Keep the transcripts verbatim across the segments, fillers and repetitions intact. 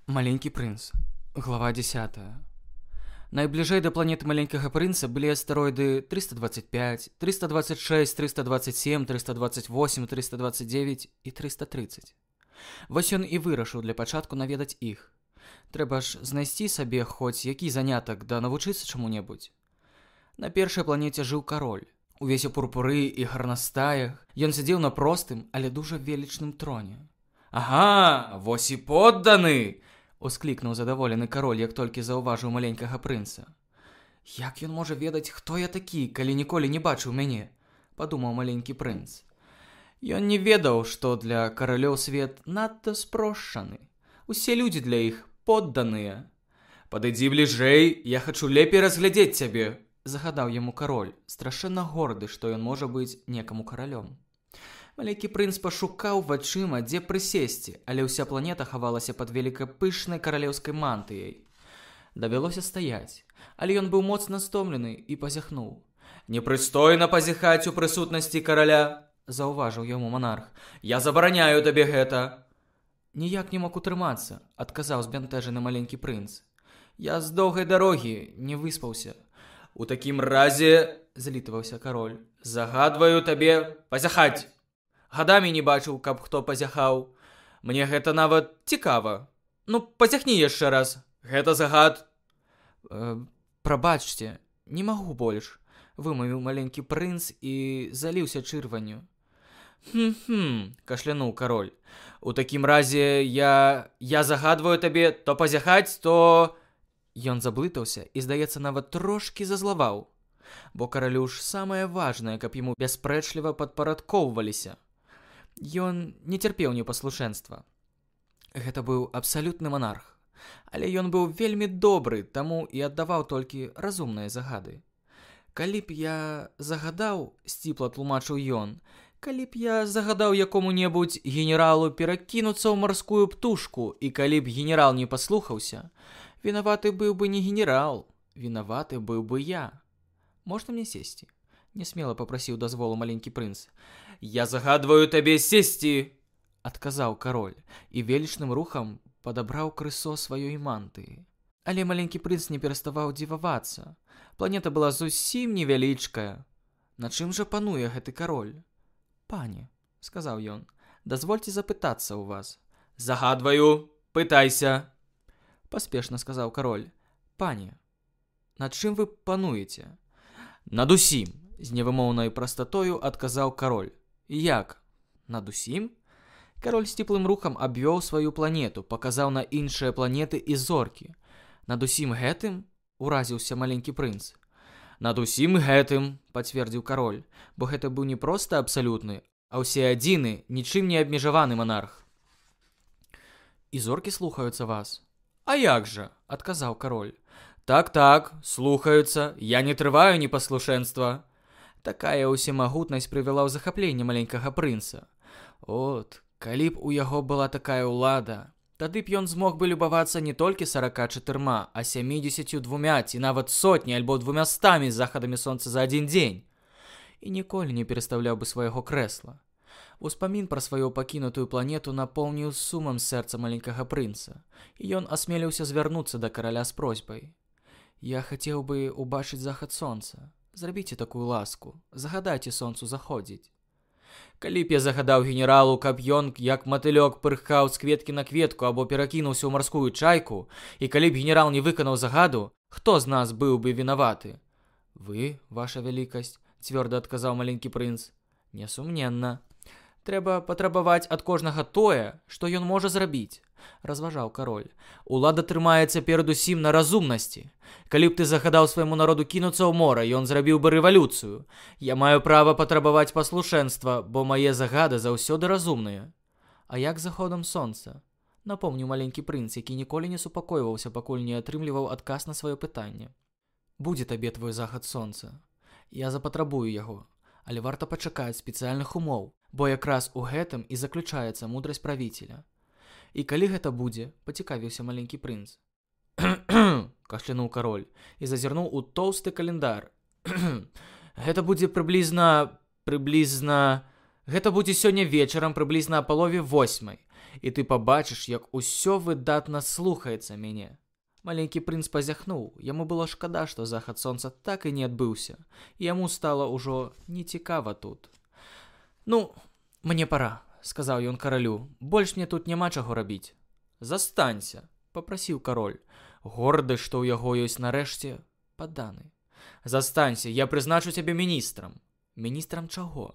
Маленький прынц. Глава десятая. Найбліжэй да планеты маленькага прынца былі астэроіды триста двадцать пять, триста двадцать шесть, триста двадцать семь, триста двадцать восемь, триста двадцать девять і триста тридцать. Вось ён і вырашыў для пачатку наведаць іх. Трэба ж знайсці сабе хоць які занятак да навучыцца чаму-небудзь. На першай планеце жыў кароль. Увесь у пурпуры і гарнастаях, ён сядзеў на простым, але дужа велічным троне. «Ага, вось і подданы!» — усклікнуў задаволены кароль, як толькі заўважыў маленькага прынца. «Як ён можа ведаць, хто я такі, калі ніколі не бачыў мяне?» — падумаў маленькі прынц. Ён не ведаў, што для каралёў свет надта спрошчаны. Усе людзі для іх подданыя. «Падыдзі бліжэй, я хачу лепей разглядзець цябе!» — загадаў яму кароль, страшэнна горды, што ён можа быць некаму каралём. Маленькі прынц пашукаў вачыма, дзе прысесці, але ўся планета хавалася пад велікапышнай каралеўскай мантыяй. Давялося стаяць, але ён быў моцна стомлены і пазяхнуў. «Непрыстойна пазяхаць у прысутнасці караля!» — заўважыў яму манарх. «Я забараняю табе гэта!» «Ніяк не мог утрымацца», — адказаў збянтэжаны маленькі прынц. «Я з доўгай дарогі не выспаўся». «У такім разе, — злітаваўся кароль, — загадваю табе пазяхаць. Гадамі не бачыў, каб хто пазяхаў. Мне гэта нават цікава. Ну, пазяхні яшчэ раз. Гэта загад». Э, «Прабачце, не магу больш», — вымавіў маленькі прынц і заліўся чырванню. «Хм-хм», — кашлянуў кароль. «У такім разе я... я загадваю табе то пазяхаць, то...» Ён заблытаўся і, здаецца, нават трошкі зазлаваў. Бо каралю ж самае важнае, каб яму бяспрэчліва падпарадкоўваліся. Ён не цярпеў непаслушэнства. Гэта быў абсалютны манарх. Але ён быў вельмі добры, таму і аддаваў толькі разумныя загады. «Калі б я загадаў, — сціпла тлумачыў ён, — калі б я загадаў якому-небудзь генералу перакінуцца ў марскую птушку, і калі б генерал не паслухаўся, вінаваты быў бы не генерал, вінаваты быў бы я. Можна мне сесці?» — нясмела папрасіў дазволу маленькі прынц. «Я загадваю табе сесці!» — адказаў кароль і велічным рухам падабраў крысо сваёй мантыі. Але маленькі прынц не пераставаў дзівавацца. Планета была зусім невялічкая. На чым жа пануе гэты кароль? «Пане, — сказаў ён, — дазвольце запытацца ў вас». «Загадваю, пытайся!» — паспешна сказаў кароль. «Пане, над чым вы пануеце?» «Над усім!» — з невымоўнай прастатою адказаў кароль. «Як? Над усім?» Кароль сціплым рухам абвёў сваю планету, паказаў на іншыя планеты і зоркі. «Над усім гэтым?» — уразіўся маленькі прынц. «Над усім гэтым!» — пацвердзіў кароль, бо гэта быў не проста абсалютны, а ўсе адзіны, нічым не абмежаваны манарх. «І зоркі слухаюцца вас?» «А як жа?» — адказаў кароль. «Так-так, слухаюцца, я не трываю непаслушэнства». Такая ўсемагутнасць прывяла ў захапленне маленькага прынца. От, калі б у яго была такая ўлада, тады б ён змог бы любавацца не толькі сарака чатырма, а сямідзесяцю двумя ці нават сотні альбо двумястамі захадамі сонца за адзін дзень. І ніколі не перастаўляў бы свайго крэсла. Успамін пра сваю пакінутую планету напоўніў сумам сэрца маленькага прынца, і ён асмеліўся звярнуцца да караля з просьбай. «Я хацеў бы убачыць захад сонца. Зрабіце такую ласку, загадайце сонцу заходзіць». «Калі б я загадаў генералу, каб ён, як матылёк, пырхаў з кветкі на кветку або перакінуўся ў марскую чайку, і калі б генерал не выканаў загаду, хто з нас быў бы вінаваты?» «Вы, ваша вялікасць», — цвёрда адказаў маленькі прынц. «Несумненна. Трэба патрабаваць ад кожнага тое, што ён можа зрабіць», — разважаў кароль. «Улада трымаецца перадусім на разумнасці. Калі б ты загадаў свайму народу кінуцца ў мора, ён зрабіў бы рэвалюцыю. Я маю права патрабаваць паслушэнства, бо мае загады заўсёды разумныя». «А як заходам сонца?» — напомніў маленькі прынц, які ніколі не супакойваўся, пакуль не атрымліваў адказ на сваё пытанне. «Будзе табе твой захад сонца. Я запатрабую яго, але варта пачакаць спецыяльных умоў, бо якраз у гэтым і заключаецца мудрасць правіцеля». «І калі гэта будзе?» — пацікавіўся маленькі прынц. «Кхм-кхм!» — кашлянуў кароль і зазірнуў у тоўсты календар. «Гэта будзе прыблізна... прыблізна... Гэта будзе сёння вечарам прыблізна а палове восьмай. і ты пабачыш, як усё выдатна слухаецца мяне. Маленькі прынц пазяхнуў, яму было шкада, што захад сонца так і не адбыўся, і яму стала ўжо нецікава тут. «Ну, мне пара», — сказаў ён каралю, — «больш мне тут няма чаго рабіць». «Застанься», — папрасіў кароль, горды, што ў яго ёсць нарэшце падданы. «Застанься, я прызначу цябе міністрам». «Міністрам чаго?»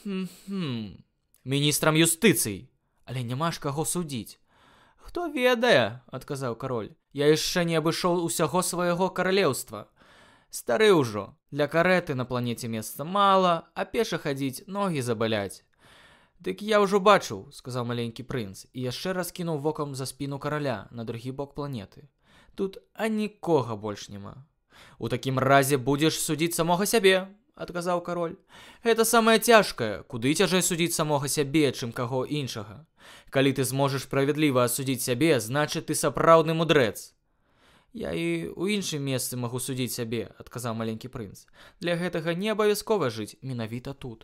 «Хм-хм, міністрам юстыцыі, але няма ж каго судзіць». «Хто ведае», — адказаў кароль, — «я яшчэ не абышоў усяго свайго каралеўства. Стары ўжо, для карэты на планеце месца мала, а пеша хадзіць ногі забаляць». «Дык я ўжо бачыў», — сказаў маленькі прынц, і яшчэ раз кінуў вокам за спіну караля на другі бок планеты. «Тут а нікога больш няма». «У такім разе будзеш судзіць самога сябе», — адказаў кароль. «Гэта самае цяжкае, куды цяжэй судзіць самога сябе, чым каго іншага. Калі ты зможаш справядліва асудзіць сябе, значыць ты сапраўдны мудрэц». «Я і ў іншым месцы магу судзіць сябе», — адказаў маленькі прынц. «Для гэтага не абавязкова жыць менавіта тут».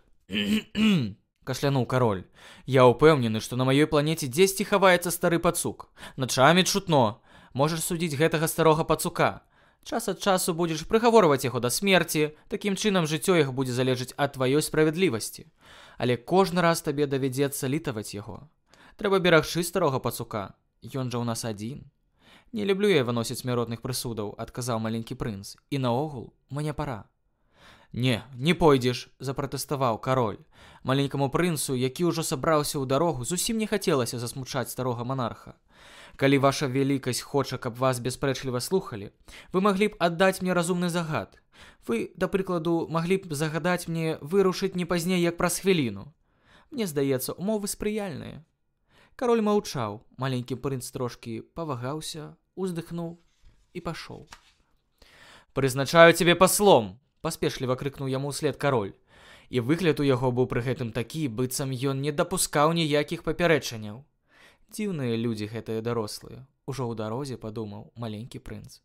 Кашлянуў кароль. «Я ўпэўнены, што на маёй планеце дзесьці хаваецца стары пацук. Начамі чутно. Можаш судзіць гэтага старога пацука. Час ад часу будзеш прыгаворваць яго да смерці, такім чынам жыццё іх будзе залежыць ад тваёй справядлівасці. Але кожны раз табе давядзецца літаваць яго. Трэба берагчы старога пацука. Ён жа ў нас адзін». «Не люблю я выносіць смяротных прысудаў», — адказаў маленькі прынц. «І наогул, мне пара». «Не, не пойдзеш», — запратэставаў кароль. Маленькаму прынцу, які ўжо сабраўся ў дарогу, зусім не хацелася засмучаць старога манарха. «Калі ваша вялікасць хоча, каб вас бяспрэчліва слухалі, вы маглі б аддаць мне разумны загад. Вы, да прыкладу, маглі б загадаць мне вырушыць не пазней, як праз хвіліну. Мне здаецца, умовы спрыяльныя». Кароль маўчаў, маленькі прынц трошкі павагаўся, уздыхнуў і пашоў. «Прызначаю цябе паслом», — паспешліва крыкнуў яму ўслед кароль. І выгляд у яго быў пры гэтым такі, быццам ён не дапускаў ніякіх папярэджанняў. Дзіўныя людзі гэтыя дарослыя, ужо ў дарозе падумаў маленькі прынц.